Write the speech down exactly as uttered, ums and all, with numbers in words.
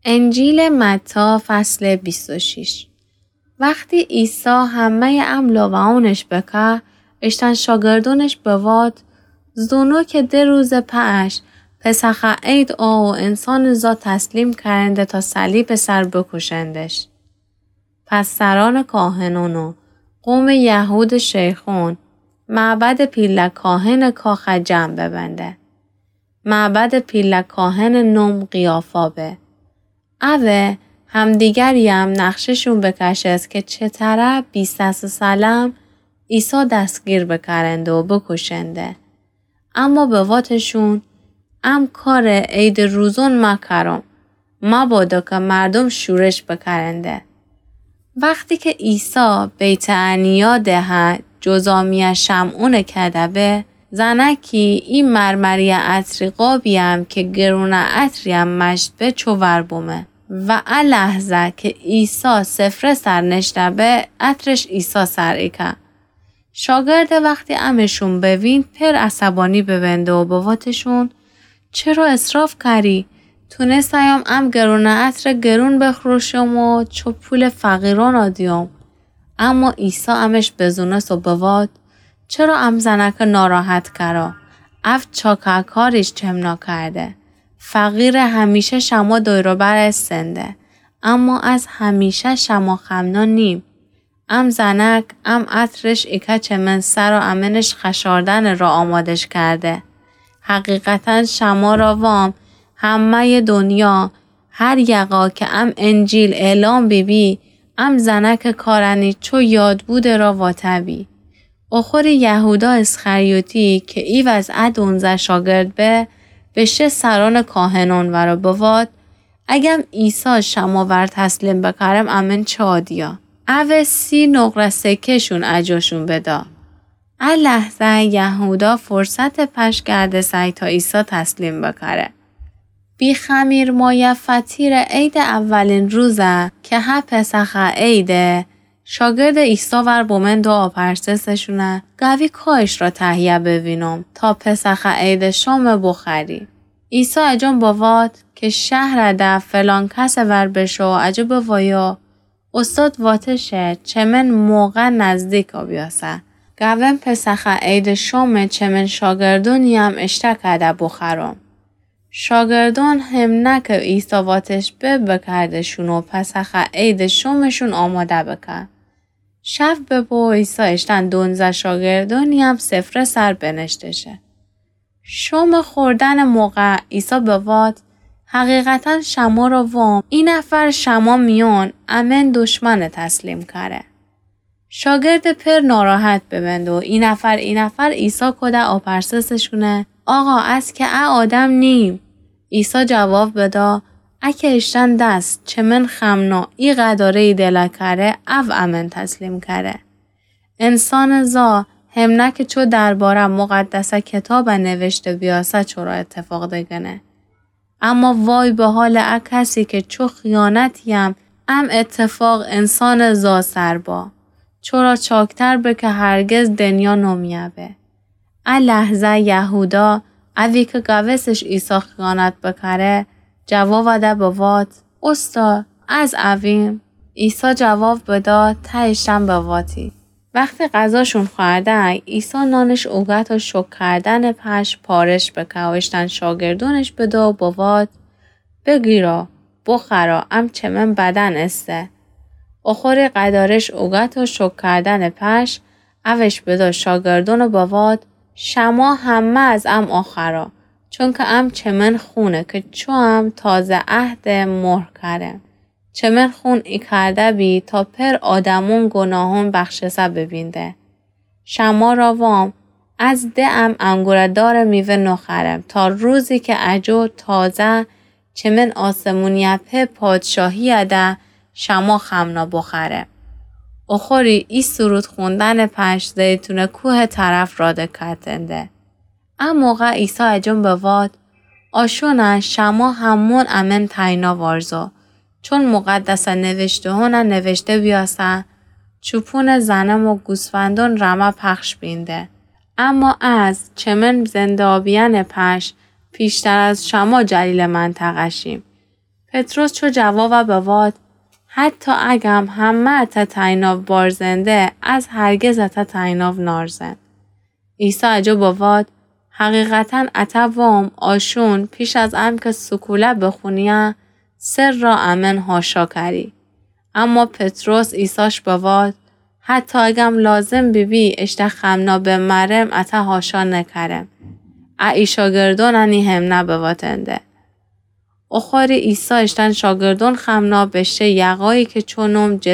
انجیل متی، فصل بیست و شش. وختی عیسی همه‌یٚ ا لوعونش بکا، اشتأن شاگردونش بواد: زونو که ده روزٚ پأش پسخ عید آ و انسانٚ زا تسلیم کأرنده تا صلیبٚ سر بوکوشندش. پس سرأنٚ کاهنأن و قومٚ یهودٚ شیخأن معبدٚ پیله کاهنٚ کاخ جمع ببنده. معبدٚ پیله کاهنٚ نوم قیافا به. اوه همدیگریم نقشه‌شون بکشست که چه طرح بیستص سلم عیسی دستگیر بکأرنده و بوکوشنده. اما بواتشون: ام کارٚ عیدٚ روزون مکرم، مبادا که مردوم شورش بکأرنده. وختی که عیسی بیت‌عنیا دهه جذامیأ شمعونٚ کده به، زنکی ای مرمریٚ عطری قابییم که گرونٚ عطریم مشت به چو ور بومه و ا لحظه که عیسی سفره سر نشته به، عطرش عیسی سر ایکه. شاگردٚ وختی امشون بوین، پر عصبانی ببنده و بواتشون: چرا اسراف کأری؟ تونسته‌یم ام گرونٚ عطر گرون بفروشم و چو پولٚ فقیرأن دیوم. اما عیسی امش بزونست و بوات: چرا ام زنکه ناراحت کرا؟ او چاکه کاریش چمنا کرده. فقیرٚ همیشه شما دور و بر استنده، اما از همیشه شما خمنا نیم. ام زنک، ام عطرش ایکه چه من سر و امنش خشاردنٚ را آمادش کرده. حقیقتاً شما را وام، همه‌یٚ دنیا، هر یقا که ام انجیل اعلام بیبی، ام زنکٚ کارأنی چو یادبودٚ را واته بی. اخوری یهودا اسخریوطی که ایوأز ا دونزه شاگرد به، بشه سرأنٚ کاهنأن ورا بوات: اگم عیسی شما ور تسلیم بکرم، امن چه آدیا؟ اوه سی نقره سکه‌شون اجاشون بدا. ا لحظه یهودا فرصتٚ پش گردسه تا عیسی تسلیم بکره. بی‌خمیر مایه فطیرٚ عیدٚ اولین روزه که هه پسخ عیده، شاگردٚ عیسی ور بمند و آپرسسشونه: گوی کایش را تهیه بوینم تا پسخ عیدٚ شام بخوری؟ عیسی اجان بوات که شهر ده فلان کس ور بشو اجا بوایا: استاد واتشه چه من موقع نزدیکا بیاسه. گوم پسخ عیدٚ شام چه من شاگردونیم اشته کده بخورم. شاگردون همنه که عیسی واتش به، بکردشون و پسخ عیدٚ شامشون آماده بکه. شب ببو، عیسی اشتن دونزه شاگردونیم سفره سر بنشتشه. شام خوردنٚ موقع عیسی بوات: حقیقتاً شما را وام، ای نفر شما میون امن دشمن تسلیم کره. شاگرد پر ناراحت ببند و ای نفر ای نفر عیسی کده آپرسسشونه: آقا، از که ا آدم نیم؟ عیسی جواب بدا: اکه اشتن دست چه من خمنا ای قداره ای دله کره، او امن تسلیم کره. انسانٚ زا همنه که چو درباره مقدسه کتابه نوشته بیاسه چورا اتفاق دگنه. اما وای به حالٚ ا کسی که چو خیانتیم ام اتفاق انسانٚ زا سر با. چورا چاکتر به که هرگز دنیا نومیه به. ا لحظه یهودا، اوی که گوستش عیسی خیانت بکره، جواب ده بوات: استا، از اویم؟ عیسی جواب بدا: ته اشتن بواتی. وختی غذاشون خوأرده، عیسی نانش اوگت و شکر کردنٚ پش پارش بکه و اشتن شاگردونش بده و بوات: بگیرا، بخورا، ام چه من بدن استه. اخوری قدارش اوگت و شکر کردنٚ پش اوش بدا شاگردون و بوات: شما همه از ام اخورا، چونکه ام چه من خونه که چو ام تازه عهد مهر کره. چه من خون ای کرده بی تا پر آدمون گناهون بخشسه ببینده. شما را وام، از ده ام انگوره دارٚ میوه نخرم تا روزی که اجو تازه چه من آسمونیه په پادشاهیه ده شما خمنا بخرم. اخوری ای سرود خوندنٚ پش زیتونه کوهٚ طرف راده کتنده. ا موقع عیسی اجون بوات: آشونه شما همون امن تینا وارزو، چون مقدسه نوشته‌هونه نوشته بیاسه: چوپونٚ زنم و گوسفندون رمه پخش بینده. اما از چه من زنده آبیأنٚ پش پیشتر از شما جلیلٚ منطقه شیم. پطرس چو جواب بواد، حتی اگم همه اته تایناو بارزنده، از هرگز اته تایناو نارزن. عیسی اجو بواد، حقیقتاً اته وام، آشون پیش از انکه سکوله بخونیه، سه را امن هاشا کری. اما پطرس عیساش بواد، حتی اگم لازم بیبی اشته خمنا بمرم، اته هاشا نکرم. ا ای شاگردون انی همنه بواتنده. اوخوری عیسی اشتن شاگردون خمنا بشه یقایی که چونوم جه